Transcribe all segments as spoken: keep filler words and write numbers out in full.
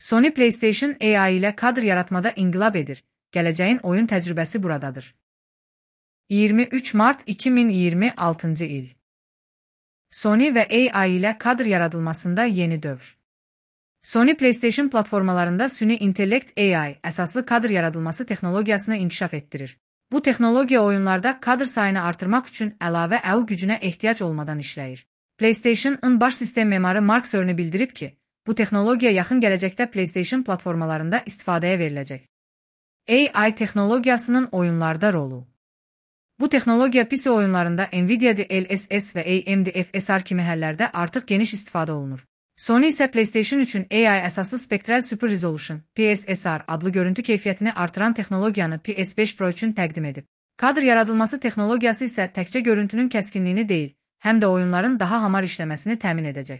Sony PlayStation A I ile kadr yaratmada inqilab edir. Gələcəyin oyun təcrübəsi buradadır. iyirmi üç Mart iki min iyirmi altıncı il. Sony və A I ilə kadr yaradılmasında yeni dövr. Sony PlayStation platformalarında süni intellekt A I əsaslı kadr yaradılması texnologiyasını inkişaf etdirir. Bu texnologiya oyunlarda kadr sayını artırmaq üçün əlavə əu gücünə ehtiyac olmadan işləyir. PlayStation-ın baş sistem memarı Mark Cerny bildirib ki, bu texnologiya yaxın gələcəkdə PlayStation platformalarında istifadəyə veriləcək. A I texnologiyasının oyunlarda rolu. Bu texnologiya P C oyunlarında Nvidia D L S S və A M D F S R kimi həllərdə artıq geniş istifadə olunur. Sony isə PlayStation üçün A I əsaslı Spectral Super Resolution P S S R adlı görüntü keyfiyyətini artıran texnologiyanı P S beş Pro üçün təqdim edib. Kadr yaradılması texnologiyası isə təkcə görüntünün kəskinliyini deyil, həm də oyunların daha hamar işləməsini təmin edəcək.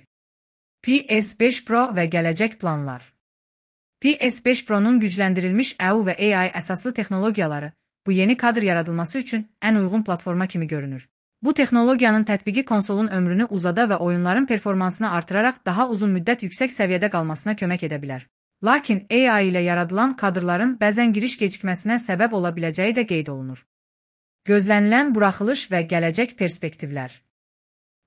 P S beş Pro və gələcək planlar. P S beş Pro'nun gücləndirilmiş əu və A I əsaslı texnologiyaları bu yeni kadr yaradılması üçün ən uyğun platforma kimi görünür. Bu texnologiyanın tətbiqi konsolun ömrünü uzada və oyunların performansını artıraraq daha uzun müddət yüksək səviyyədə qalmasına kömək edə bilər. Lakin A I ilə yaradılan kadrların bəzən giriş gecikməsinə səbəb ola biləcəyi də qeyd olunur. Gözlənilən buraxılış və gələcək perspektivlər.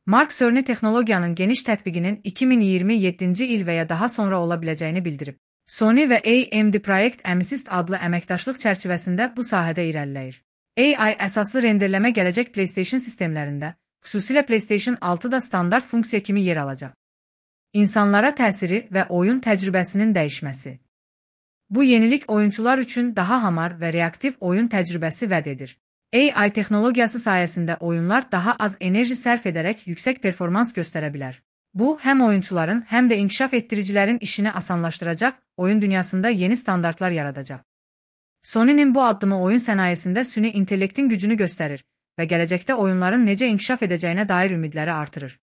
Mark Cerny texnologiyanın geniş tətbiqinin iki min iyirmi yeddinci il və ya daha sonra ola biləcəyini bildirib. Sony və A M D Project Amethyst adlı əməkdaşlıq çərçivəsində bu sahədə irəliləyir. A I əsaslı renderləmə gələcək PlayStation sistemlərində, xüsusilə PlayStation altıda standart funksiya kimi yer alacaq. İnsanlara təsiri və oyun təcrübəsinin dəyişməsi. Bu yenilik oyunçular üçün daha hamar və reaktiv oyun təcrübəsi vəd edir. A I texnologiyası sayəsində oyunlar daha az enerji sərf edərək yüksək performans göstərə bilər. Bu, həm oyunçuların, həm də inkişaf etdiricilərin işini asanlaşdıracaq, oyun dünyasında yeni standartlar yaradacaq. Sony'nin bu addımı oyun sənayesində süni intellektin gücünü göstərir və gələcəkdə oyunların necə inkişaf edəcəyinə dair ümidləri artırır.